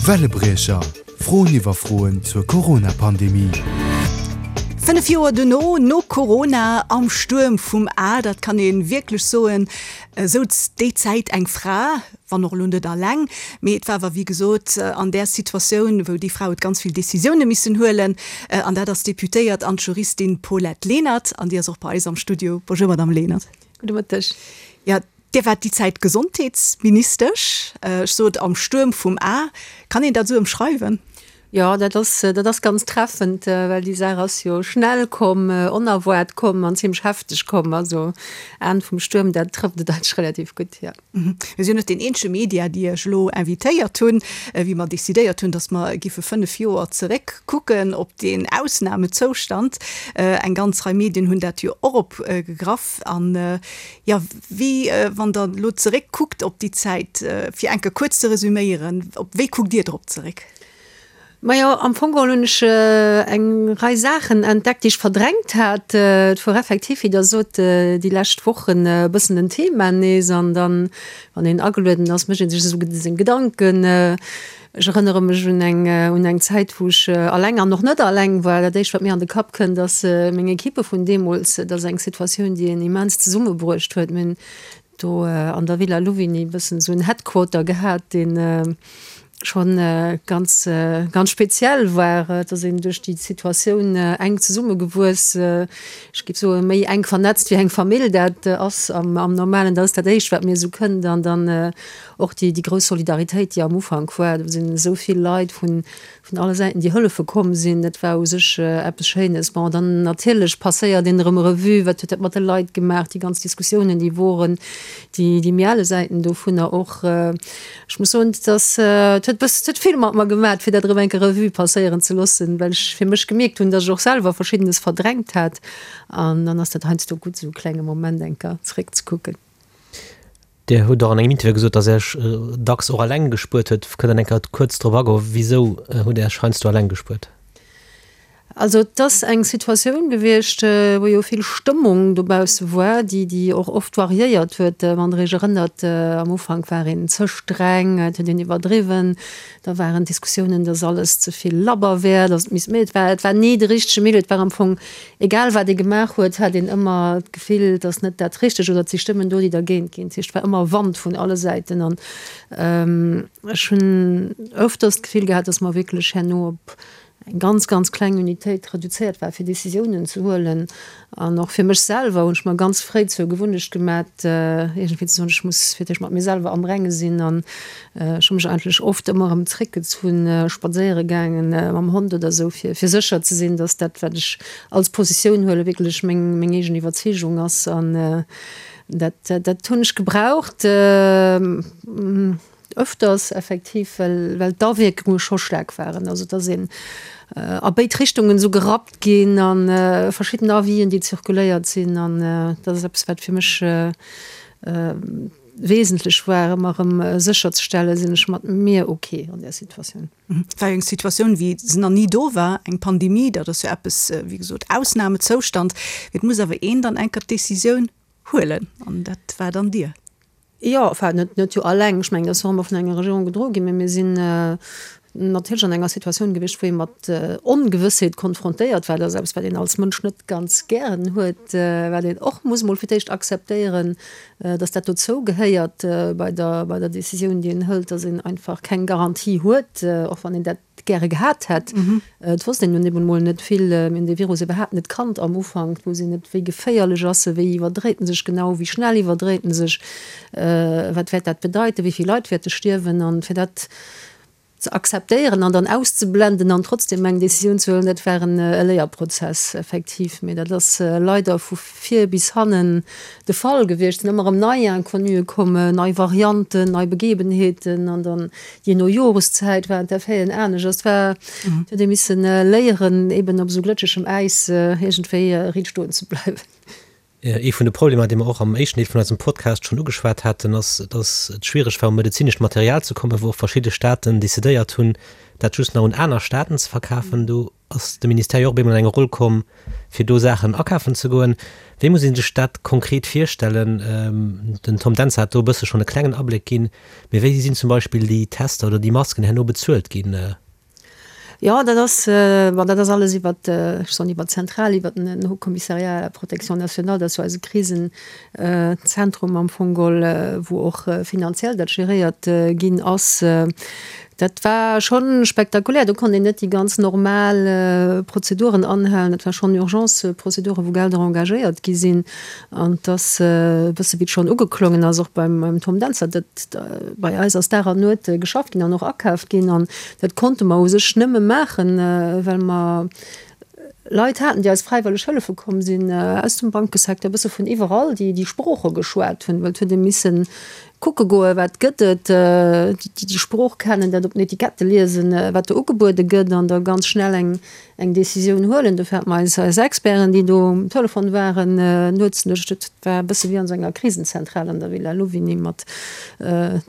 Wellebriecher, Froen iwwer Froen zur Corona-Pandemie. 5 Joer dono, no Corona, am Stuerm vum A, dat kann ee wierklech soen, souz déi Zäit eng Fra, wann och elo net alleng, mee et war awer wéi gesot an där Situatioun, wou déi Fra huet ganz vill Decisioune missen huelen, an dat ass d'Deputéiert an d'Juristin Paulette Lenert, an déi ass och bei eis am Studio. Bonjour Madame Lenert. Gudde Mëtteg. Jo, Dir waart déi Zäit Gesondheetsministesch. Ech sot am Stuerm vum A. Kann een dat esou ëmschreiwen? Jo, dat ass, dat ass ganz treffend, well déi Saach ass jo schnell komm, onerwaart komm an zimlech hefteg komm. Also Aen vum Stuerm, dat trëfft et eigentlech relativ gutt, jo. Mir sinn jo net deen eenzege Media, déi Iech elo invitéiert hunn, wéi mer decidéiert hunn, datt mer giffe 5 Joer zeréck kucken op deen Ausnamezoustand. Eng ganz Rei Medien hunn dat jo och opgegraff. An jo, wéi, wann Der elo zeréck kuckt op déi Zäit, fir eng Kéier kuerz ze resüméieren, op wéi kuckt Dir drop zeréck? Majo, am Fong geholl hunn ech eng Rei Saachen entdeckt, déi ech verdrängt hat. Et wor effektiv, wéi Der sot, déi lescht Wochen e bëssen en Thema nees. An dann, wann een agelueden ass, mécht ee sech esou seng Gedanken. Ech erënnere mech un eng, un eng Zäit, wou ech alleng an och net alleng war. Dat Éischt, wat mir an de Kapp kënnt, ass meng Equippe vun deemools. Et ass eng Situatioun, déi een immens zesummebruecht huet. Mir hunn do an der Villa Louvigny e bëssen esou en Headquarter gehat, deen schonn ganz, ganz speziell war. Et ass een duerch déi Situatioun enk zesummegewuess. Ech géif soen, méi enk vernetzt wéi eng Famill dat ass am Normalen. Dat ass dat Éischt, wat mir esou kënnt. An dann och déi grouss Solidaritéit, déi am Ufank war. Do sinn esou vill Leit vun vun alle Säiten déi hëllefe komm sinn, dat war u sech eppes Schéines. Bon, dann natierlech passéiert een erëm Revue, wat huet dat mat de Leit gemaach, déi ganz Diskussiounen, déi woren, déi, déi méi ale Säiten dovunner och. Ech muss soen, et ass, et huet bëss, et huet vill mat mer gemaat, fir dat erëm eng Kéier Revue passéieren ze loossen, well ech fir mech gemierkt hunn, datt ech och selwer Verschiddenes verdrängt hat. An dann ass dat heiansdo gutt, esou e klenge Moment eng Kéier zeréckzekucken. Dir hutt och an engem Interview gesot, datt Är Iech dacks och eleng gespuert huet. Kënnt Der eng Kéier kuerz drop agoen, wisou hutt Är Iech heiansdo eleng gespuert? Also et ass eng Situatioun gewiescht, wou jo vill Stëmmung dobausse war, déi déi och oft variéiert huet. Wann Der Iech erënnert, am Ufank war een ze streng, et huet een iwwerdriwwen, da waren d'Diskussiounen, datt alles ze vill labber wär, datt et misst méi, et war et war ni de richtege Milieu, et war am Fong egal wat ee gemaach huet, hat een ëmmer d'Gefill, et ass net dat Richtegt oder et si Stëmmen do, déi dergéint ginn. Dat heescht, et war ëmmer Wand vun alle Säiten an ech hunn öfters d'Gefill gehat, datt mer wierklech herno op eng ganz, ganz kleng Unitéit reduzéiert war, fir Décisiounen ze huelen. An och fir mech selwer hunn ech mer ganz fréi zur Gewunnecht gemat, iergendwéi ze soen, ech muss fir d'éischt mat mir selwer am Renge sinn. An ech hu mech eigentlech oft ëmmer erëm zréckgezunn, spadséiere gaangen mam Hond oder esou, fir fir sécher ze sinn, datt dat, wat ech als Positioun huelen, wierklech meng meng eegen Iwwerzeegung ass. An dat dat hunn ech gebraucht, ëfters effektiv, well well d'Awierkunge scho staark waren. Also et ass een a béid Richtungen esou gerappt ginn a verschidden Avisen, déi zirkuléiert sinn. An dat ass eppes, wat fir mech Wesentlech war, ëmmer erëm sécherzestellen, sinn ech mat mir ok an där Situatioun. Et war jo eng Situatioun, wéi se nach ni do war, eng Pandemie, dat ass jo eppes, wéi gesot, Ausnamezoustand. Et muss awer een dann enker d'Decisioun huelen an dat war dann Dir. Jo, enfin, net, net jo alleng. Ech mengen, dat ass och ëmmer vun enger Regierung gedroe ginn, mä mir sinn natierlech an enger Situatioun gewiescht, wou ee mat Ongewëssheet konfrontéiert war. Dat ass eppes, wat een als Mënsch net ganz gären huet, wat een och muss emol fir d'éischt akzeptéieren, dass dat dozou gehéiert bei der, bei der Décisioun, déi een hëlt, dass een einfach keng Garantie huet, och wann een dat gäre gehat hätt. Et wosst een nun eben emol net vill. Mir hunn dee Virus iwwerhaapt net kannt am Ufank. Et wosst een net, wéi geféierlech ass e, wéi iwwerdréit en sech genau, wéi schnell iwwerdréit en sech, wat wäert dat bedeiten, wéi vill Leit wäerte stierwen. An fir dat ze akzeptéieren an dann auszeblenden an trotzdem eng Décisioun ze huelen, dat war en e Léierprozess effektiv. Mee dat ass leider vu vir bis hannen de Fall gewiescht. Et sinn ëmmer erëm nei Inconnuë komm, nei Varianten, nei Begebenheeten an dann jee no Joreszäit waren d'Effeten anescht. Et war, et huet ee misse léieren, eben op esou glëtschegem Äis iergendwéi riit stoen ze bleiwen. Ee vun de Problemer, dee mer och am éischten Deel vun eisem Podcast schonn ugeschwat haten, ass, dass et schwiereg war, u medezinescht Material ze kommen, wou och verschidde Staaten decidéiert hunn, dat just nach un aner Staaten ze verkafen. Do. ass de Ministère jo och op eemol an eng Roll komm, fir do Saachen akafen ze goen. Wéi muss ee sech dat konkret virstellen? Den Tom Dentzer hat do e bësse schonn e klengen Abléck ginn. Mee wéi sinn zum Beispill déi Tester oder déi Masken herno bezuelt ginn? Jo, dat ass, bon, dat ass alles iwwert, ech soen iwwert d'Zentral, iwwert den Haut Commissariat à la protection nationale, dat ass jo eise Krisenzentrum am Fong geholl, wou och finanziell dat geréiert ginn ass. Dat war scho spektakulär. Do konnt een net déi ganz normal Prozeduren anhalen. Dat war schonn Urgence-Prozeduren, wou Gelder engagéiert gi sinn. An et ass e bësse wéi et schonn ugeklongen ass, och beim Tom Dentzer, dat bei eis ass Dag an Nuet geschafft ginn an och akaaft ginn. An dat konnte mer u sech nëmme maachen, well mer Leit haten, déi eis fräiwëlleg hëllefe komm sinn, aus dem Bankesecteur, e bësse vun iwwerall, déi déi Sprooche geschwat hunn, well et huet ee misse kucke goen, wat gëtt et, déi déi Sprooch kennen, dat op den Etikette liesen, wat do ugebuede gëtt an da ganz schnell eng eng Décisioun huelen. Dofir hate mer eis eis Experten, déi do um Telefon waren, nuets. Dat war e bësse wéi an esou enger Krisenzentral an der Villa Louvigny mat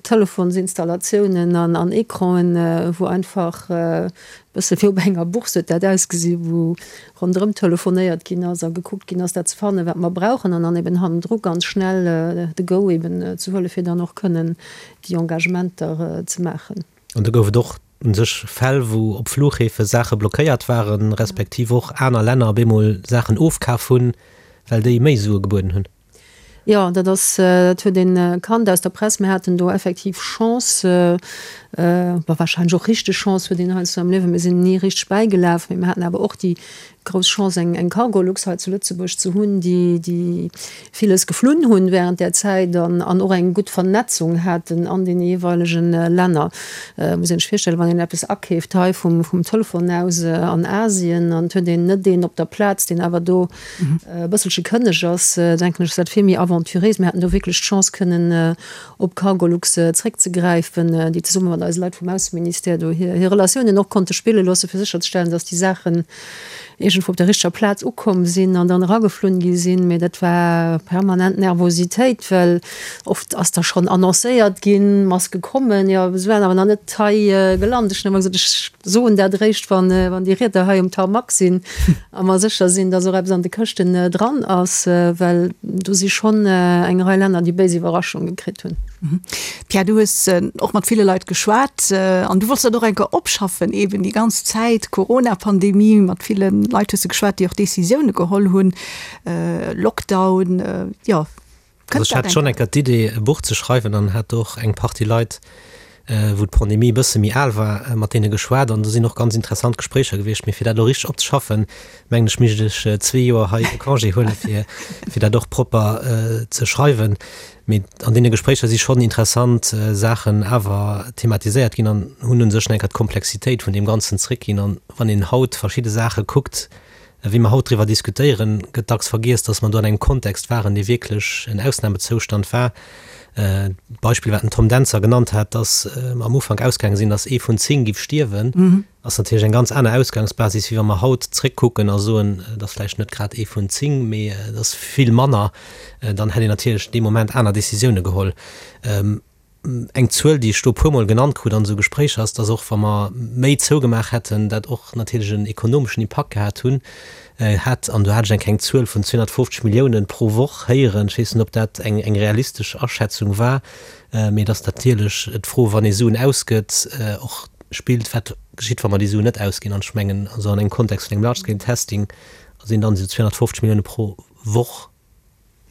Telefonsinstallatiounen an an Ecranen, wou einfach e bësse wéi op enger Bourse huet dat ausgesi wou ronderëm telefonéiert ginn ass a gekuckt ginn ass, dat ze fannen, wat mer brauchen an dann eben hannendru ganz schnell de Go eben ze huelen, fir dann och kënnen déi Engagementer ze maachen. An do gouf et och u sech Fäll, wou op Fluchhäfe Saache blockéiert waren, respektiv och aner Länner op eemol Saachen ofkaf hunn, well déi méi Sue gebueden hunn. Jo, dat ass, dat huet een kannt aus der Press. Mir haten do effektiv Chance, bon, wahrscheinlech och richteg Chance huet een heiansdo am Liewen, mir sinn ni richteg bäigelaf, mee mir haten awer och déi grouss Chance, eng eng Cargolux hei zu Lëtzebuerg ze hunn, déi déi villes geflunn hunn während där Zäit an an och eng gutt Vernetzung haten an deene jeeweilegen Länner. Muss een sech virstellen, wann een eppes akeeft hei vum vum Telefon aus an Asien an et huet een net een op der Plaz, deen awer do e bësselche kënneg ass, denken ech, ass dat vill méi aventuréis. Mir haten do wierklech d'Chance kënnen op Cargolux zréckzegräifen, déi zesumme mat eise Leit vum Ausseministère do hir hir Relatiounen och konnte spille loosse fir sécherzestellen, datt déi Saachen iergendwou op der richteger Plaz ukomm sinn an dann erageflunn gi sinn. Mee dat war permanent Nervositéit, well oft ass da schonn annoncéiert ginn, Maske kommen, jo, se waren awer nach net hei gelant. Ech hunn ëmmer gesot, ech soen dat eréischt, wann wann déi Rieder hei um Tarmac sinn a mer sécher sinn, datt och eppes an de Këschten dran ass, well do si schonn eng Rei Länner, déi béis Iwwerraschunge kritt hunn. Pierre, du hues och mat ville Leit geschwat an du wollts dat och eng Kéier opschaffen, eeben déi ganz Zäit Corona-Pandemie, mat ville Leit hues de geschwat, déi och Decisioune geholl hunn, Lockdown, jo. Also ech hat schonn eng Kéier d'Idee e Buch ze schreiwen an hat och eng Partie Leit, wou d'Pandemie e bësse méi al war, mat deene geschwat an do sinn och ganz interessant Gespréicher gewiescht. Mee fir dat elo richteg opzeschaffen, mengen ech, mischt ech zwee Joer hei e Congé huelen, fir fir dat och propper ze schreiwen. Mee an deene Gespréicher si schonn interessant Saachen awer thematiséiert ginn an hunn u sech eng Kéier d'Komplexitéit vun deem Ganzen zréckginn. An wann een haut verschidde Saache kuckt, Wéi mer haut driwwer diskutéieren, gëtt dacks vergiess, dass mer do an engem Kontext waren, dee wierklech en Ausnamezoustand war. D'Beispill, wat den Tom Dentzer genannt hat, dass mer am Ufank ausgaange sinn, dass ee vun 10 giff stierwen, ass natierlech eng ganz aner Ausgangsbasis, wéi wa mer haut zréckkucken a soen, et ass vläicht net grad ee vun 10, mee et ass vill manner. Dann hätt een natierlech dee Moment aner Décisioune geholl. Eng Zuel, déi ech do e puermol genannt krut an esou Gespréicher, ass, dass och wa mer méi zougemaach hätten, dat och natierlech en ekonomeschen Impakt gehat hunn hätt. An do hat ech eng kleng Zuel vun 250 Milliounen pro Woch héieren. Ech weess net, ob dat eng eng realistesch Aschätzung war, mee et ass natierlech d'Fro, wann ee Suen ausgëtt, och spillt, wat geschitt, wa mer déi Suen net ausginn. An ech mengen, also an engem Kontext vun engem Large-Scale-Testing sinn dann esou 250 Millioune pro Woch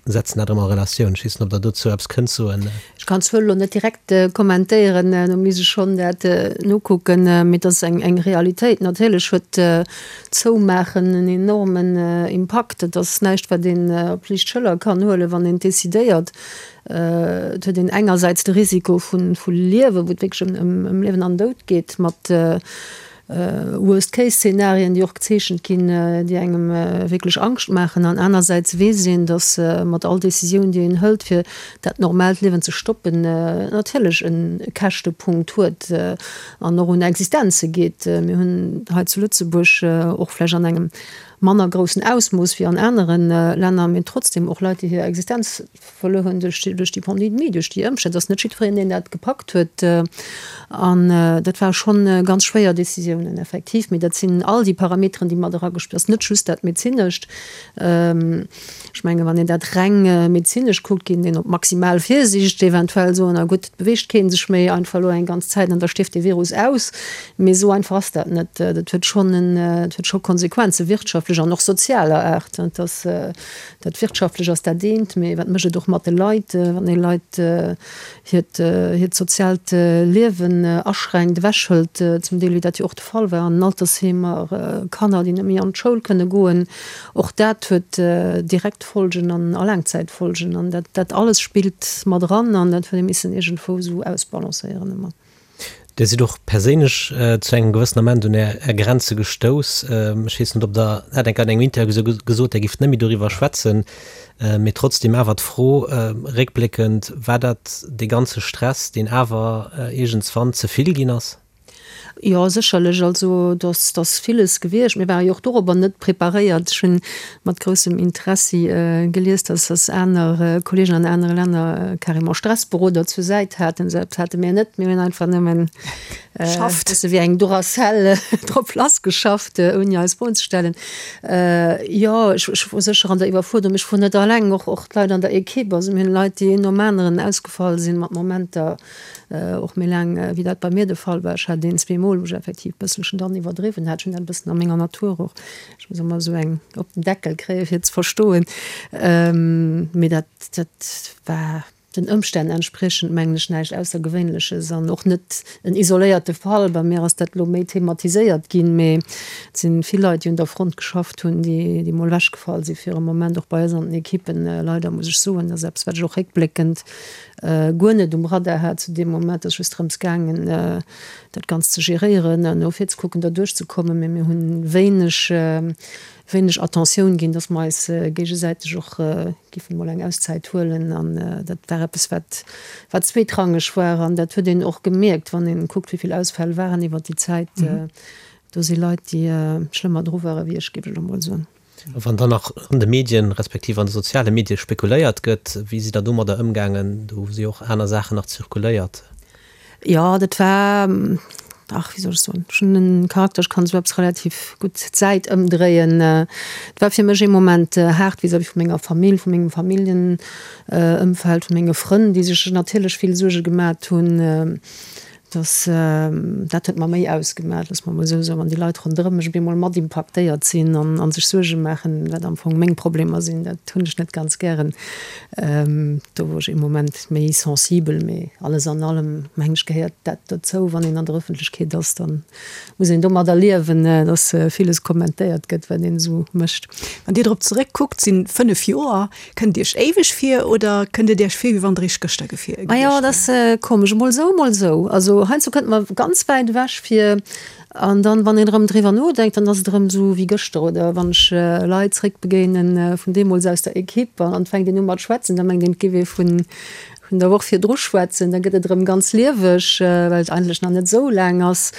Setzen dat erëm a Relatioun. Ech weess net, ob Der dozou eppes kënnt soen. Ech kann d'Zuel elo net direkt kommentéieren, do misst ech schonn dat nokucken, mee et ass eng Realitéit. Natierlech huet d'Zoumaachen en enormen Impakt. Et ass näischt, wat een op d'liicht Schëller kann huelen, wann een et decidéiert. Et huet een engersäits de Risiko vu Liewen, wou et wierklech ëm Liewen an Doud geet, mat Worst-Case-Szenarien, déi och gezeechent ginn, déi engem wierklech Angscht maachen. An anersäits weess een, datt mat all Decisioun, déi een hëlt, fir dat normaalt Liewen ze stoppen, natierlech e Käschtepunkt huet an och un Existenze geet. Mir hunn hei zu Lëtzebuerg och vläicht an engem. manner groussen Ausmooss wéi an anere Länner, mee trotzdem och Leit, déi hir Existenz verluer hunn duerch déi Pandemie, duerch déi Ëmstänn. Et ass net jiddwereen, deen dat gepackt huet. An dat ware schonn ganz schwéier Décisiounen, effektiv. Mee dat sinn all déi Parameteren, déi mat eragespillt. Et ass net just dat Medezinescht. Ech mengen, wann een dat reng medezinesch kuckt, géing een op maximal Virsiicht eventuell soen, na gutt, et beweegt kee sech méi einfach elo eng ganz Zäit an da stierft dee Virus aus. Mee esou einfach ass dat net. Dat huet schonn en, dat huet scho Konsequenze wirtschaftlech an och sozialer Aart. Dat ass, dat wirtschaftlech ass dat eent, mee wat mécht et och mat de Leit, wann ee Leit hiert, hiert soziaalt Liewen aschränkt, ewechhëlt, zum Deel, wéi dat jo och de Fall war an den Altersheemer, Kanner, déi net méi an d'Schoul kënne goen. Och dat huet direkt Folgen an a Laangzäitfolgen. An dat, dat alles spillt mat eran an dat huet ee missen iergendwou esou ausbalancéieren ëmmer. Dir sidd och perséinlech zu engem gewëssen Ament un Är Grenze gestouss. Ech weess net, ob Der, hat eng Kéier an engem Interview esou gesot, Der gifft net méi doriwwer schwätzen. Mee trotzdem awer d'Fro, réckbléckend, War dat dee ganze Stress, deen awer iergendswann ze vill ginn ass? Jo, sécherlech. Also do ass villes gewiescht. Mir ware jo och dorobber net preparéiert. Ech hunn mat groussem Interessi gelies, dass dass aner Kolleegen an anere Länner carrément Stressberoder zur Säit haten. Esou eppes hate mir net. Mir hunn einfach nëmmen Geschafft. Bësse wéi eng Duracell drop lassgeschafft, ouni eis Froen ze stellen. Jo, ech ech wor sécher an der Iwwerfuerderung. Ech wor net alleng, och och d'Leit an der Equipe. Also mir hunn Leit, déi een nom aneren ausgefall sinn mat Momenter, och méi laang wéi dat bei mir de Fall war. Ech hat een, zweemol, wou ech effektiv e bësselchen dann iwwerdriwwen hat. Ech hunn dat e bëssen a menger Natur och. Ech muss ëmmer esou eng op den Deckel kréien, fir et ze verstoen. Mee dat, dat war den Ëmstänn entspriechend, mengen ech, näischt Aussergewéinleches an och net en isoléierte Fall. Bei mir ass dat elo méi thematiséiert ginn, mee et si vill Leit, déi un der Front geschafft hunn, déi, déi mol ewechgefall si fir e Moment, och bei eis an den Ekippen. Leider muss ech soen, dat ass eppes, wat ech och réckbléckend guer net um Radar hat zu deem Moment. Et ass just drëms gaangen, dat Ganzt ze geréieren an no vir ze kucken, derduerch ze kommen. Mee mir hunn wéineg, wéineg Attentioun ginn, dass mer eis géigesäiteg och giffen emol eng Auszäit huelen. An dat war eppes, wat, wat zweetrangeg war. An dat huet een och gemierkt, wann een kuckt, wéi vill Ausfäll waren iwwert déi Zäit. Do si Leit, déi schlëmmer dru ware wéi ech, géif ech elo mol soen. A wann dann nach an de Medien, respektiv an de soziale Medie spekuléiert gëtt, wéi sidd Der domadder ëmgaangen? Do si jo och aner Saachen nach zirkuléiert. Jo, dat war, ach, wéi soll ech soen, ech hunn e Charakter, ech kann esou eppes relativ gutt d'Säit ëmdréien. Et war fir mech ee Moment haart vis-à-vis vu menger Famill, vu mengem Familljenëmfeld, vu menge Frënn, déi sech natierlech vill Suerge gemat hunn. Dass, dat huet mer méi ausgemaach, loosse mer emol esou soen, wann déi Leit ronderëm mech op eemol mat impaktéiert sinn an a sech Suerge maachen, wat am Fong meng Problemer sinn, dat hunn ech net ganz gären. Do wor ech ee Moment méi sensibel, mee alles an allem, mengen ech, gehéiert dat dozou, wann een an der Ëffentlechkeet ass, da muss een domadder liewen, dass villes kommentéiert gëtt, wat een esou mécht. Wann Dir drop zeréckkuckt, sinn 5 Joer Kënnt Iech éiweg vir oder kënnt et Iech vir, wéi wann et eréischt gëschter gewiescht wier? Majo, et ass komesch, emol esou, emol esou. Also heiansdo kënnt mer ganz wäit ewech vir an dann, wann een erëm driwwer nodenkt, dann ass et erëm esou wéi gëschter. Oder wann ech Leit zréckbegéinen vun deemools aus der Equipe an et fänkt een u mat schwätzen, da mengt een, et géif ee vun vun der Woch virdru schwätzen, da gëtt et erëm ganz lieweg, well et eigentlech nach net esou laang ass.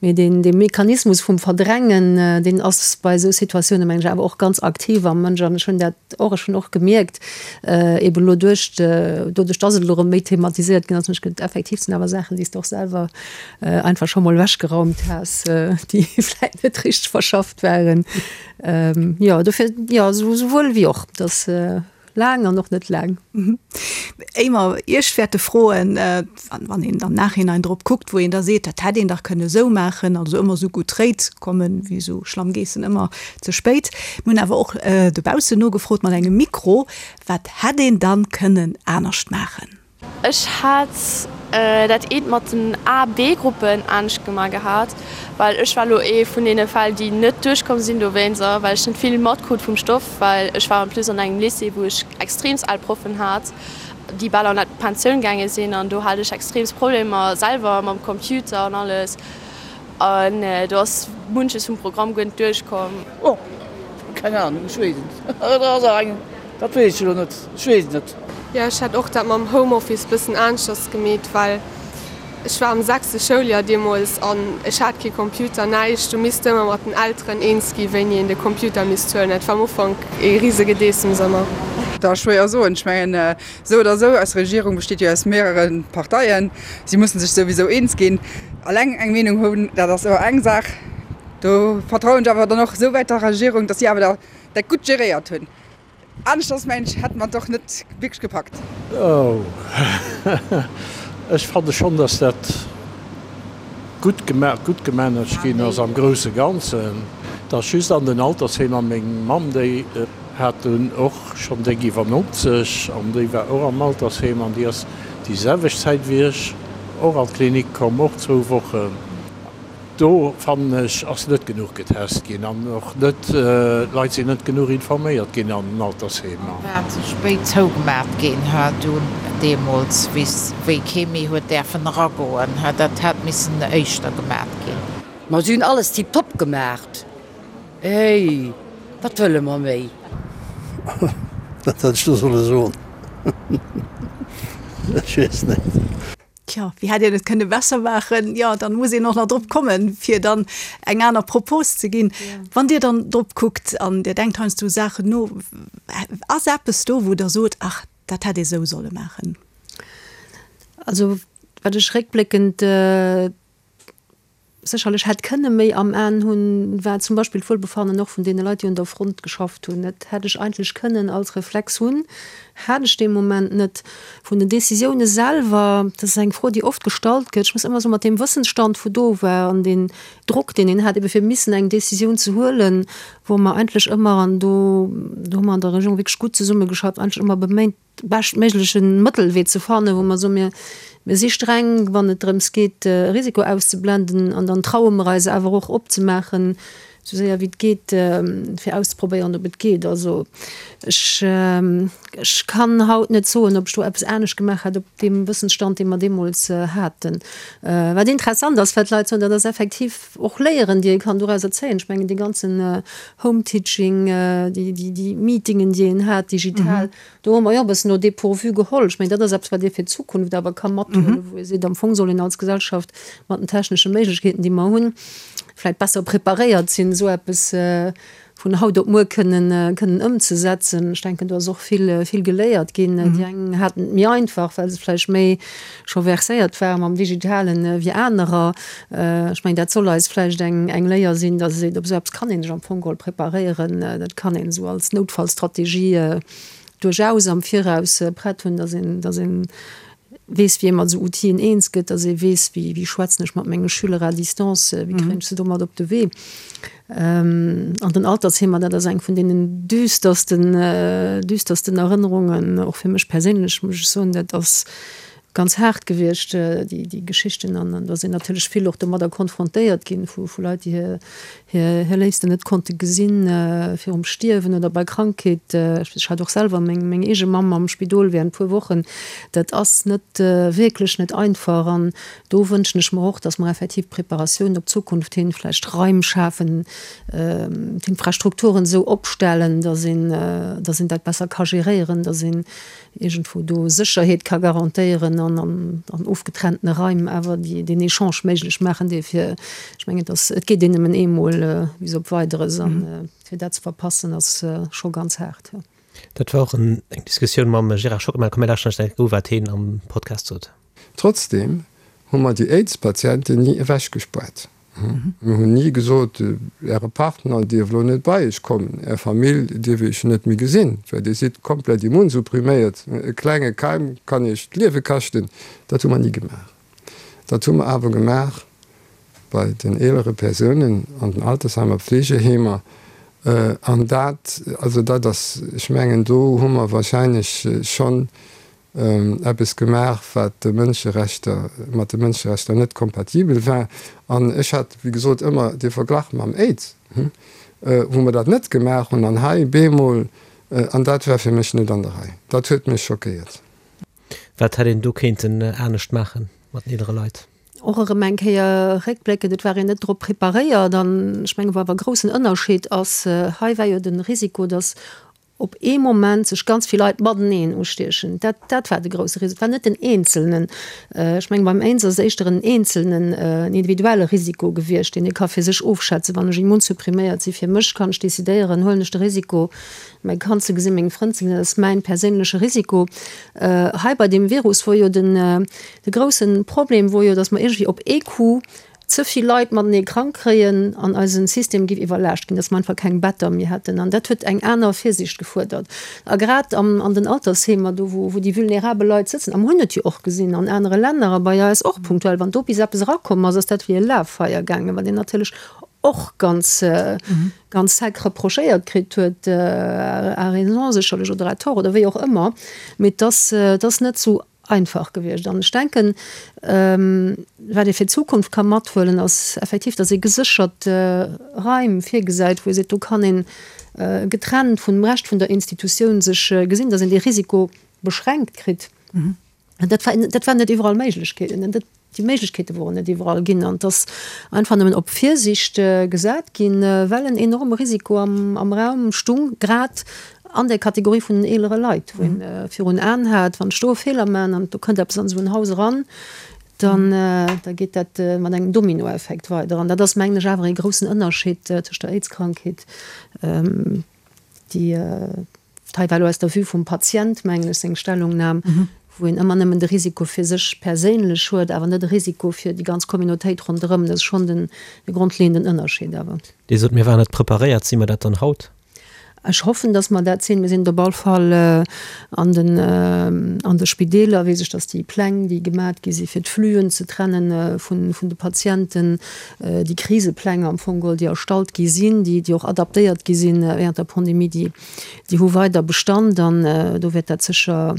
Mee deen, dee Mechanismus vum Verdrängen, deen ass bei esou Situatiounen, mengen ech, awer och ganz aktiv am Mënsch. An ech hunn dat och, ech hunn och gemierkt, eeben elo duerch, doduerch dass et elo erëm méi thematiséiert ginn ass, mech gëtt effektiv sinn awer Saachen, déi s de och selwer einfach scho mol ewechgeraumt has, déi vläicht net richteg verschafft waren. Jo, dofir, jo, souwuel wéi och. Dass. Laang an och net laang. Éier mer Iech wäerte froen, wann een am Nachhinein drop kuckt, wou een da seet, dat hätt een dach kënne esou maachen, also ëmmer esou gutt Réit kommen, wéi esou schlamm Geessen ëmmer ze spéit. Mir hunn awer och dobaussen nogefrot mat engem Mikro, wat hätt een dann kënnen anescht maachen? Ech hat dat eent mat den A B-Gruppen anescht gemaach gehat, well ech war lo ee vun deene Fäll, déi net duerchkomm sinn dowéinst a well ech net vill matkrut vum Stoff, well ech war en plus an engem Lycée, wou ech extreemst al Proffen hat, déi bal an d'Pensioun gaange sinn an do hat ech extreemst Problemer selwer mam Computer an alles. An do ass munches vum Programm guer net duerchkomm. Oh, keng Ahnung, ech weess et net. Dat ass eng, dat weess ech elo net, ech weess et net. Jo, ech hätt och dat mam Homeoffice bëssen aneschters gemeet, well. Ech war am sechste Schouljoer deemools an ech hat kee Computer, näischt. Du misst ëmmer mat den Elteren eens gi wéini een de Computer misst huelen. Dat war am Ufank ee rise Gedeessems ëmmer. Dat ass schwéier soen. Ech mengen, esou oder esou, eis Regierung besteet jo aus mehrere Parteien. Si mussen sech souwisou eens ginn. Alleng eng Meenung hunn, dat ass ëmmer eng Saach. Do vertrauen ech awer dann och esouwäit der Regierung, datt si awer dat gutt geréiert hunn. Aneschters mengen ech, hätte mer et och net wierklech gepackt. Oh, ech fanne schonn, dass dat gutt gemaach, gutt gemanagt ginn ass am grousse Ganzen. Et ass just an den Altersheemer, meng Mamm, déi hat dunn och schonn déck iwwer 90 an déi war och am Altersheem an déi ass déi selwecht Zäit wéi ech och an d'Klinik komm, och zwou Wochen. Do fannen ech ass net genuch getest ginn an och net, d'Leit sinn net genuch informéiert ginn an den Altersheemer. War ze spéit zougemat ginn, ha dunn deemools wéi kee méi huet däerfen eragoen, ha dat hätt missen éischter gemat ginn. Ma si hunn alles tiptop gemaacht. Hey, wat wëlle mer méi? Wat hätt ech do solle soen? Ech weess net. Tjo, wéi hätt een et kënne besser maachen? Jo, dann muss een och nach drop kommen, fir dann eng aner Propos ze ginn. Wann Dir dann drop kuckt an Dir denkt heiansdo u Saachen no, ass eppes do, wou Der sot, ach, dat hätt ee sou solle maachen? Also, wat ech réckbléckend sécherlech hätt kënne méi am Aen hunn, war zum Beispill d'Wuelbefannen och vun deene Leit, déi un der Front geschafft hunn. Dat hätt ech eigentlech kënnen als Reflex hunn, hat ech dee Moment net. Vun den Décisioune selwer, dat ass eng Fro, déi oft gestallt gëtt, ech muss ëmmer soen, mat deem Wëssensstand, wou do war, an deen Drock, deen een hat, ebe fir missen eng Décisioun ze huelen, wou mer eigentlech ëmmer, an do hu mer an der Regierung wierklech gutt zesummegeschafft, eigentlech ëmmer beméint, beschtméigleche Mëttelwee ze fannen, wou mer soen, mir, mir si streng, wann et drëms geet, e Risiko auszeblenden, an dann traue mer eis awer och opzemaachen, esou séier wéi et geet, fir auszeprobéieren, ob et geet. Also ech, ech kann haut net soen, ob ech do eppes anescht gemaach hätt op deem Wëssensstand, dee mer deemools haten. Wat interessant ass, wat d'Leit soen, dat ass effektiv och Léieren, déi ee kann dorauser zéien. Ech mengen, dee ganzen Home-Teaching, déi Meetingen, déi een hat digital, do hu mer jo e bëssen au dépourvu geholl. Ech mengen, dat ass eppes, wat ee fir d'Zukunft awer ka mathuelen, wou ee seet, am Fong soll een als Gesellschaft mat den technesche Méiglechkeeten, déi mer hunn, vläicht besser preparéiert sinn, esou eppes vun haut op muer kënnen kënnen ëmzesetzen. Ech denken, do ass och vill vill geléiert ginn. Déi eng haten et méi einfach, well se vläicht méi scho verséiert ware mam Digitalen wéi anerer. Ech mengen, dat soll eis vläicht eng eng Léier sinn, datt ee seet, op esou eppes kann ee sech am Fong geholl preparéieren. Dat kann een esou als Noutfallstrategie duerchaus am Viraus prett hunn, datt een datt een weess, wéi ee mat esou Outile eens gëtt, datt ee weess, wéi wéi schwätzen ech mat menge Schüler à distance, wéi kréien ech se domat op de Wee. An den Altersheemer, dat ass eng vun deenen düstersten, düstersten Erënnerungen, och fir mech perséinlech, muss ech soen. Dat ass ganz haart gewiescht, déi, déi Geschichten. An do ass een natierlech vill och domadder konfrontéiert ginn, vu, vu Leit, déi hir, hir, hir Léifsten net konnte gesinn virum Stierwen oder bei Krankheet. Ech hat och selwer meng, meng eege Mamm am Spidol während puer Wochen. Dat ass net, wierklech net einfach. An Do wënschen ech mer och, dass mer effektiv d'Preparatioun op d'Zukunft hin, vläicht Raim schafen, d'Infrastrukturen esou opstellen, dass een, dass een dat besser ka geréieren, dass een iergendwou do Sécherheet ka garantéieren an an ofgetrennte Raim awer déi, deen Echange méiglech maachen, dee fir, ech mengen, et ass, et geet een nëmmen eemol bis op Weideres an fir dat ze verpassen ass scho ganz haart. Dat war och eng Diskussioun mam Gérard Schockmel. Komm mir lauschteren eis eng u wat heen am Podcast sot. Trotzdem hu mer déi AIDS-Patienten ni ewechgespuert. Mir hunn ni gesot, Äre Partner dierf elo net bei Iech kommen, Är Famill dierf Iech net méi gesinn, well Dir sidd komplett immunsuppriméiert, e klenge Keim kann Iech d'Liewe kaschten. Dat hu mer ni gemaach. Dat hu mer awer gemaach bei den eelere Persounen an den Altersheimer, Pflegeheemer. An dat, also dat ass, ech mengen, do hu mer wahrscheinlech schonn eppes gemaach, wat de Mënscherechter, mat de Mënscherechter net kompatibel war. An ech hat, wéi gesot, ëmmer dee Verglach mam Aids, wou mer dat net gemaach hunn, an hei bemol, an dat war fir mech net an der Rei. Dat huet mech schockéiert. Wat hätt een do kéinten anescht maachen mat den eelere Leit? Och erëm eng Kéier réckbléckend, et war een net drop preparéiert. An ech mengen, wou awer e groussen Ënnerscheed ass, hei war jo de Risiko, datt. op ee Moment sech ganz vill Leit mateneen ustiechen. Dat, dat war de grousse Risiko. Et war net den Eenzelnen. Ech mengen, beim Aids ass et éischter en eenzelnen, en individuelle Risiko gewiescht, deen ee ka fir sech ofschätzen. Wann ech immunsuppriméiert si fir mech, kann ech decidéieren, huelen ech de Risiko, mäi Kand ze gesinn, meng Frënn ze gesinn, dat ass mäin perséinleche Risiko. Hei bei deem Virus wor jo den, de grousse Problem wor jo, datt mer iergendwéi op ee Coup ze vill Leit matenee krank kréien an eise System géif iwwerlaascht ginn, dass mer einfach keng Better méi hätten. An dat huet eng aner Virsiicht gefuerdert. A grad am, an den Altersheemer, do wou, wou déi vulnerabel Leit sëtzen, a mer hunn et jo och gesinn an anere Länner a bei eis och punktuell, wann do bis eppes erakomm ass, ass dat wéi e Laffeier gaangen, wat een natierlech och ganz, ganz sec reprochéiert kritt huet, à raison sécherlech oder à tort oder wéi och ëmmer, mee et ass, et ass net esou einfach gewiescht. An ech denken, wat ee fir d'Zukunft ka mathuelen, ass effektiv, datt ee geséchert Raim virgesäit, wou ee seet, do kann ee getrennt vun dem Rescht vun der Institutioun sech gesinn, datt een dee Risiko beschränkt kritt. Dat war, dat war net iwwerall Méiglechkeeten. Déi Méiglechkeete woren net iwwerall ginn an et ass einfach nëmmen op Virsiicht gesat ginn, well en enorme Risiko am Raum stung, grad an där Kategorie vun den eelere Leit, wou een virun Aen hat, wann ech do e Feeler maachen an do kënnt eppes an esou en Haus eran, dann da geet dat mat engem Dominoeffekt weider. An dat ass, mengen ech, awer ee groussen Ënnerscheed tëscht der Aids-Krankheet, déi hei war elo aus der Vue vum Patient, mengen ech, seng Stellungnam, wou een ëmmer nëmmen de Risiko fir sech perséinlech huet, awer net e Risiko fir déi ganz Communautéit ronderëm. Dat ass schonn den grondleeënden Ënnerscheed awer. Dir sot, mir waren net preparéiert. Si mer dat dann haut? Ech hoffen, datt mer dat sinn. Mir sinn et op all Fall an den, an de Spideeler, weess ech, datt déi Pläng, déi gemat gi si fir d'Fluen ze trenne vun, vun de Patienten, déi Krisepläng am Fong geholl, déi erstallt gi sinn, déi, déi och adaptéiert gi sinn während der Pandemie, déi, déi hu weider Bestand an do wäert dat sécher,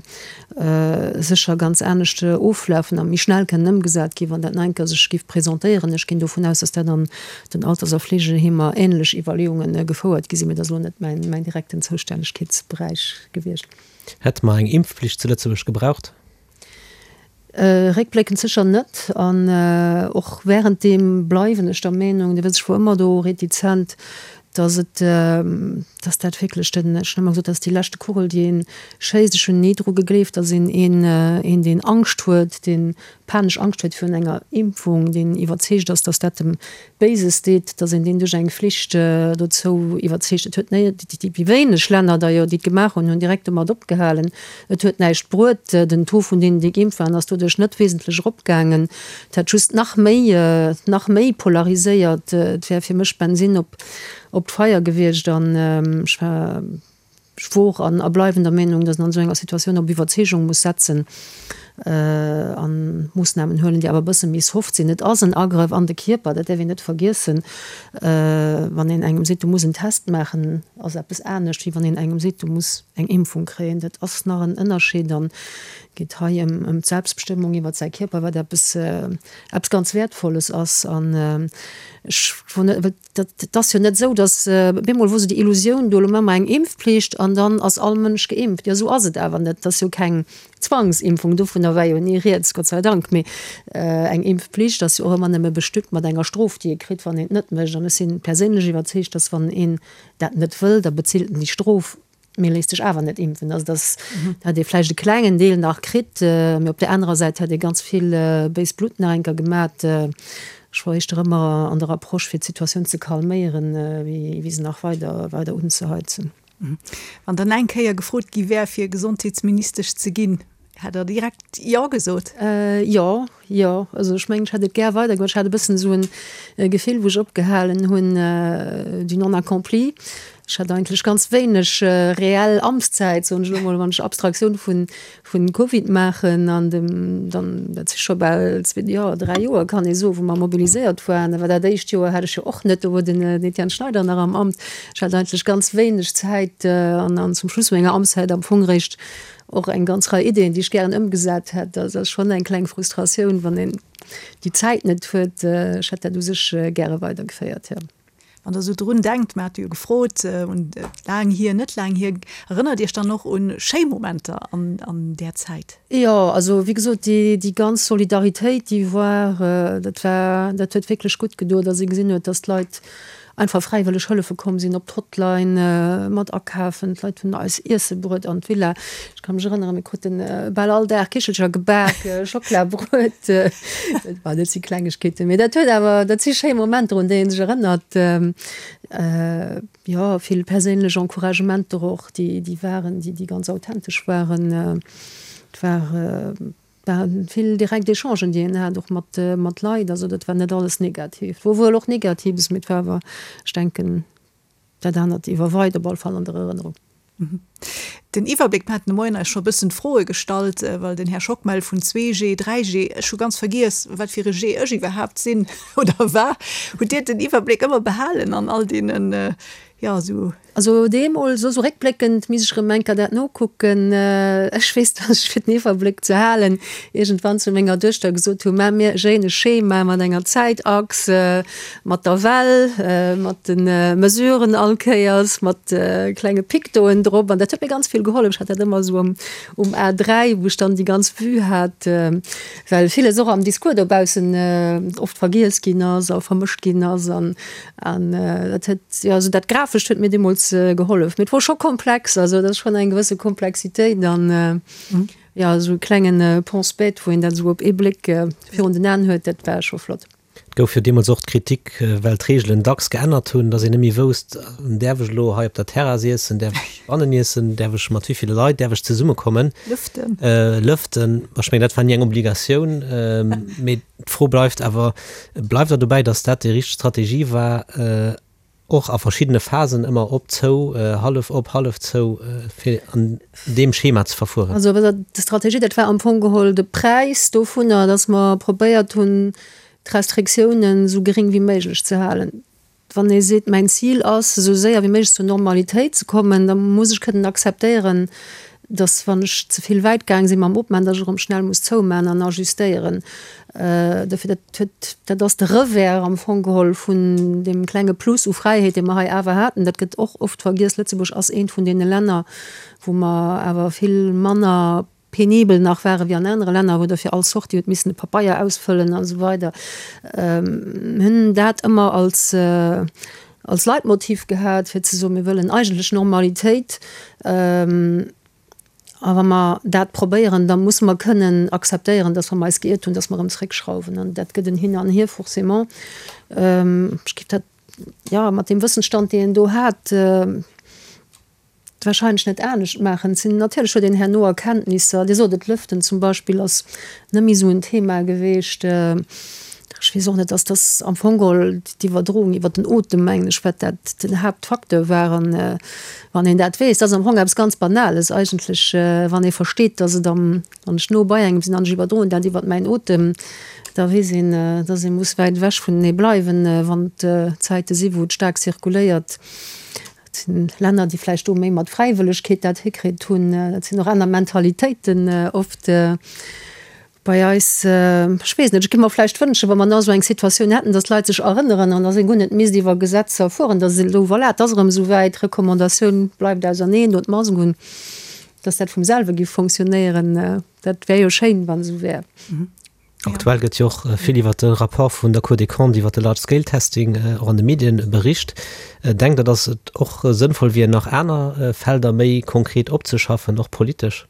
sécher ganz anescht oflafen a méi schnell kënnen ëmgesat ginn, wann dat nach eng Kéier sech géif presentéieren. Ech ginn dovun aus, dass dat an den Alters a Fleegeheemer änlech Iwwerleeunge gefouert gi sinn, mee dat ass elo net mäin, mäin direkten Zoustännegkeetsberäich gewiescht. Hätte mer eng Impfpflicht zu Lëtzebuerg gebraucht? Réckbléckend sécher net. An och wärenddeem bleiwen ech der Meenung, Dir wësst, ech wor ëmmer do retizent, datt et, datt dat wierklech den, ech hunn ëmmer gesot, dat ass déi leschte Kugel, déi ee schéisst. Ech hunn ni dru gegleeft, datt een een, een deen Angscht huet, dee panesch Angscht huet virun enger Impfung, deen iwwerzeegt ass, datt dat dem Béises deet, datt een deen duerch eng Flicht dozou iwwerzeegt. Et huet déi wéineg Länner d'ailleurs, déi et gemaach hunn, hunn direkt domat opgehalen. Et huet näischt bruet. Den Taux vun deenen, déi geimpft waren, ass doduerch net wesentlech eropgaangen. Et hätt just nach méi, nach méi polariséiert. Et wär fir mech Bensinn op d'Feier gewiescht an ech war, Ech wor an a bleiwen der Meenung, datt een an esou enger Situatioun op Iwwerzeegung muss setzen a Moossnamen huelen, déi awer e bësse méi soft sinn. Et ass en Agrëff an de Kierper, dat däerf een net vergiessen. Wann een engem seet, du muss en Test maachen, ass eppes anescht, wéi wann een engem seet, du muss eng Impfung kréien. Dat ass nach en Ënnerscheed an geet hei ëm d'Selbstbestëmmung iwwer säi Kierper, wat eppes eppes ganz Wäertvolles ass. An ech wor net. Dat ass jo net esou, datt op eemol wor esou déi Illusioun do, elo maache mer eng Impfpflicht an dann ass all Mënsch geimpft. Jo, esou ass et awer net. Et ass jo keng Zwangsimpfung, dovunner war jo ni rieds, Gott sei Dank. Mee eng Impfpflicht ass jo och ëmmer nëmme bestückt mat enger Strof, déi ee kritt, wann een et net mécht. An ech si perséinlech iwwerzeegt, datt wann een dat net wëll, da bezilt en déi Strof. Mee léisst sech awer net impfen. Also dass hätt ee vläicht e klengen Deel nach kritt, mee op där anerer Säit hätt ee ganz vill béist Blutt nach eng Kéier gemat. Ech war éischter ëmmer an der Approche fir d'Situatioun ze calméieren, wéi se nach weider weider unzeheizen. Wann dann eng Kéier gefrot gi wär fir Gesondheetsministesch ze ginn, hätt Der direkt Jo gesot? Jo, Jo, also ech mengen, ech hätt et gär weidergemaach. Ech hat e bëssen esou e Gefill, wou ech opgehalen hunn, du non accompli. Ech hat eigentlech ganz wéineg reell Amtszäit, soen ech elo mol, wann ech Abstraktioun vun, vun Covid maachen an dem dann, dat si scho bal zwee, jo dräi Joer kann ee soen, wou mer mobiliséiert waren. Awer dat éischt Joer hat ech jo och net, do wor den Etienne Schneider nach am Amt. Ech hat eigentlech ganz wéineg Zäit an, an zum Schluss vu menger Amtszäit am Fong eréischt Och eng ganz Rei Ideeën, déi ech gären ëmgesat hätt. Dat ass schonn eng kleng Frustratioun, wann een déi Zäit net huet. Ech hätt dat u sech gäre weidergeféiert, jo. Wann Der esou drun denkt, mer hate jo gefrot, un laang hier, net laang hier, erënnert Iech dann och un schéi Momenter an där Zäit? Jo, also wéi gesot, déi ganz Solidaritéit, déi war, dat war, dat huet wierklech gutt gedoen, datt ee gesinn huet, datt d'Leit. einfach fräiwëlleg hëllefe komm sinn op d'Hotline mat akafen. D'Leit hunn eis Iesse bruet an d'Villa. Ech ka mech erënneren, mir krute bal all Dag Kichelcher gebak, Schocklabruet. Dat dat si Klengegkeeten, mee dat huet awer, dat si schéi Momenter, un déi ee sech erënnert. Jo, vill perséinlech Encouragementer och, déi déi waren, déi déi ganz authentesch waren. Et war. Waren vill direkt Echangen, déi een hat, och mat, mat Leit. Also dat war net alles negativ. Et wor wuel och Negatives, mee et war awer, ech denken, dat anert iwwerweit op alle Fall an der Erënnerung. Den Iwwerbléck, mir haten de Moien eis scho e bëssen d'Froe gestallt, well den Här Schockmel vun 2G, 3G, ech hu ganz vergiess, wat fir e G ech iwwerhaapt sinn oder war. Hutt Dir den Iwwerbléck ëmmer behalen an all deenen, jo, esou. Also deemools, esou réckbléckend misst ech erëm eng Kéier dat nokucken. Ech weess, dass ech fir den Iwwerbléck ze halen iergendwann zu menger Duechter gesot hu, Maach mir e schéine Schema mat enger Zäitachs, mat der Well, mat de Mesuren all Kéiers, mat klenge Pictoen drop. An dat huet mir ganz vill gehollef. Ech hat dat ëmmer esou um A3, wou ech dann déi ganz Vue hat, well villes och am Discours dobaussen oft vergiess ginn ass a vermëscht ginn ass. An dat huet, jo, also dat Grafescht huet mir deemools gehollef. Mee et wor scho komplex, also dat ass schonn eng gewësse Komplexitéit an, jo, esou e klengen Pense-bête, wou een dat esou op ee Bléck virun den Aen huet, dat war scho flott. Et gouf jo deemools och d'Kritik, well d'Reegelen dacks geännert hunn, datt een net méi wousst, Däerf ech elo hei op der Terrass iessen, däerf ech bannen iessen, däerf ech mat wéi ville Leit däerf ech zesummekommen? Lëften. Lëften, ech mengen, dat war ni eng Obligatioun, mee D'Fro bleift awer, Bleift Der dobäi, datt dat déi richteg Strategie war, och a verschiddene Phasen ëmmer op, zou, hallef op, hallef zou, fir an deem Schema ze verfueren? Also d'Strategie, dat war am Fong geholl de Präis dovunner, datt mer probéiert hunn, d'Restriktiounen esou geréng wéi méiglech ze halen. Wann ee seet, mäin Zil ass, esou séier wéi méiglech zur Normalitéit ze kommen, da muss ech kënnen akzeptéieren, datt wann ech ze vill wäit gaang si mam Opmaachen, datt ech erëm schnell muss zoumaachen an ajustéieren. Dofir, dat huet, dat ass de Revers am Fong geholl vun deem klenge Plus u Fräiheet, dee mer hei awer haten. Dat gëtt och oft vergiess. Lëtzebuerg ass eent vun deene Länner, wou mer awer vill manner penibel nach ware wéi an anere Länner, wou der fir all Sortie huet missen e Papeier ausfëllen an esou weider. Mir hunn dat ëmmer als, als Leitmotiv gehat, fir ze soen, mir wëllen eigentlech Normalitéit. A wa mer dat probéieren, da musse mer kënnen akzeptéieren, dass wa mer eis geiert hunn, dass mer erëm zréckschrauwen. An dat gëtt en Hin an Hier forcément. Ech géif dat, jo, mat deem Wëssensstand, deen een do hat, Wahrscheinlech net anescht maachen. Et sinn natierlech huet een herno Erkenntnisser. Dir sot et, Lëften zum Beispill ass net méi esou en Thema geweecht. Ech weess och net, dass dass am Fong geholl d'Iwwerdroung iwwer den Otem, mengen ech, wat dat den Haaptfacteur war. An wann een dat weess, dat ass am Fong eppes ganz Banales eigentlech, wann ee versteet, dass et am, wann ech no bei engem sinn an ech iwwerdroen dat iwwer mäin Otem, da weess een, dass ee muss wäit ewech vunenee bleiwen, wann et Zäite si wou et staark zirkuléiert. Et sinn Länner, déi vläicht do méi mat Fräiwëllegkeet dat hikritt hunn. Dat sinn och aner Mentalitéiten oft. Bei eis, ech weess net, ech géif mer vläicht wënschen, wa mer nach esou eng Situatioun hätten, datt d'Leit sech erënneren an datt ee guer net misst iwwer Gesetzer fueren, datt elo, voilà, et ass erëm esou wäit, Recommandatioun, bleift auserneen, dot d'Mask un, datt dat vum selwe géif fonctionnéieren. Dat wär jo schéin, wann esou wär. Aktuell gëtt jo och vill iwwer de Rapport vun der Cour des Comptes iwwer de Large Scale Testing och an de Medien bericht. Denkt Der, datt et och sënnvoll wier, nach aner Felder méi konkret opzeschaffen, och politesch?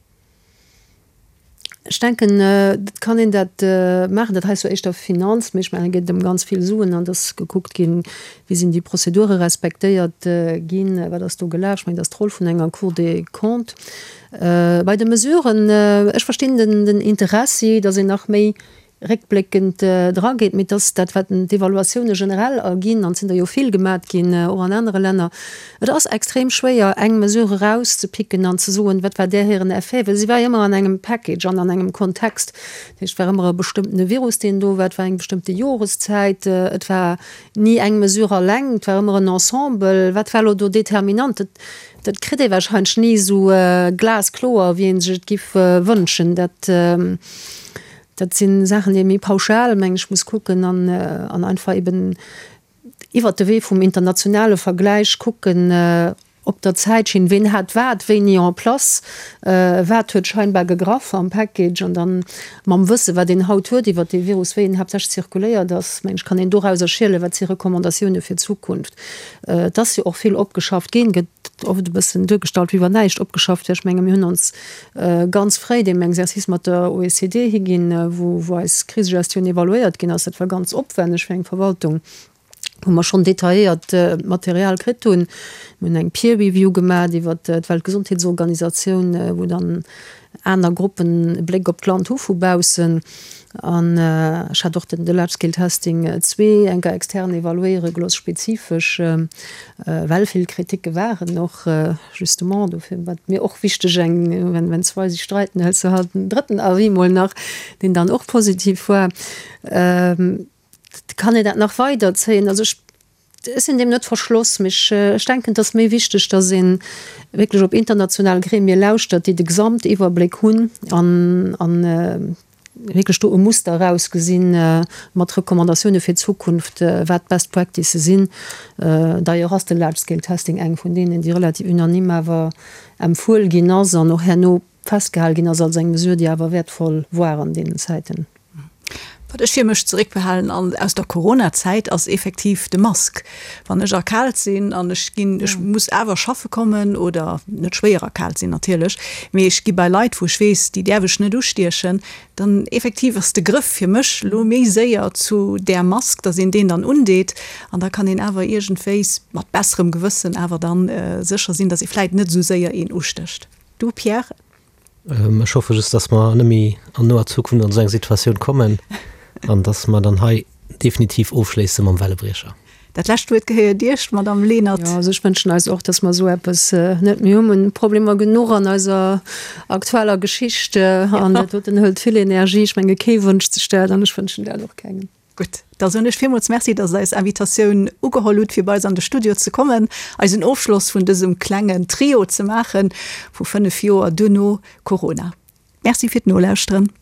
Ech denken, et kann een dat maachen. Dat hei ass jo éischter Finanz, mee ech mengen, et geet ëm ganz vill Suen an et ass gekuckt ginn, wéi sinn déi Prozedure respektéiert ginn, wat ass do gelaf. Ech mengen, dat ass d'Roll vun enger Cour des Comptes. Bei de Mesuren, ech verstinn den Interessi, datt een nach méi réckbléckend drageet, mee et ass dat, wat d'Evaluatioune generell erginn, an et sinn der jo vill gemat ginn, och an anere Länner, et ass extrem schwéier, eng Mesure erauszepicken an ze soen, wat war där hiren Effet, well si war jo ëmmer an engem Package an an engem Kontext. Dat heescht, et war ëmmer e bestëmmtene Virus, deen do war, et war eng bestëmmte Joreszäit, et war ni eng Mesure alleng, et war ëmmer en Ensemble. Wat war elo do determinant? Dat kritt ee wahrscheinlech ni esou glaskloer, wéi ee sech et giff wënschen. Dat, dat si Saachen, déi ee méi pauschal, meng ech, muss kucken an, an einfach eben iwwert de Wee vum internationale Vergläich kucken. Op der Zäitschinn, ween hat wat wéini en place, wat huet scheinbar gegraff am Package an dann mam Wësse wat een haut huet iwwert dee Virus, wéi en haaptsächlech zirkuléiert ass, mengen ech, kann een dorauser schielen, wat si Recommandatioune fir d'Zukunft. Et ass jo och vill opgeschafft ginn, gëtt oft e bëssen duergestallt, wéi wann näischt opgeschafft wär. Ech menge mir hunn ons ganz fréi deem Exercice mat der OECD higinn, wou eis Krisegestioun evaluéiert ginn ass. Dat war ganz opwenneg fir eng Verwaltung. wou mer schonn detailléiert Material kritt hunn. Mir hunn eng Peer Review gemaach iwwert d'Weltgesondheetsorganisatioun, wou dann aner Gruppen e Bléck op d'Land hu vu baussen. An ech hat och den de Large Scale Testing 2 eng Kéier extern evaluéiere gelooss, spezifesch, well vill Kriticke waren och justement. Dofir war et mir och wichteg, eng, wenn zwei sich streiten, hëls du halt en drëtten Avis mol nach, deen dann och positiv war. Kann een dat nach weider zéien? Also ech, ech sinn deem net verschloss, mee ech, ech denken, et ass méi wichteg, datt ee wierklech op international Gremie lauschtert, déi de Gesamtiwwerbléck hunn an, an wierklech do e Muster erausgesinn mat Recommandatioune fir d'Zukunft, wat d'Best Practices sinn. D'ailleurs ass de Large Scale Testing eng vun deenen, déi relativ unanime awer empfuel ginn ass an och herno festgehal ginn ass als eng Mesure, déi awer wäertvoll war an deenen Zäiten. Wat ech fir mech zeréckbehalen an aus der Coronazäit ass effektiv de Mask. Wann ech erkaalt sinn an ech ginn, ech muss awer schaffe kommen oder net schwéier erkaalt sinn natierlech, mee ech gi bei Leit wou ech weess, déi däerf ech net ustiechen, dann effektiv ass de Grëff fir mech elo méi séier zu där Mask, datt een deen dann undeet an da kann een awer iergendwéis mat besserem Gewëssen awer dann sécher sinn, datt ee vläit net esou séier een ustécht. Du Pierre? Ech hoffe just, dass mer net méi an noer Zukunft an esou eng Situatioun kommen an dass mer dann hei definitiv ofschléisse mam Wellebriecher. Dat lescht Wuert gehéiert Iech, Madamm Lenert. Jo, also ech wënschen eis och, dass mer esou eppes net méi hunn. Mir hunn Problemer genuch an eiser aktueller Geschicht an dat doten hëlt vill Energie. Ech menge kee wënscht sech dat an ech wënschen dat och kengem. Gutt, da soen ech villmools Merci, dass Der eis Invitatioun ugeholl hutt, fir bei eis an de Studio ze kommen, eisen Ofschloss vun dësem klengen Trio ze maachen, vu 5 Joer duerno Corona. Merci fir d'Nolauschteren.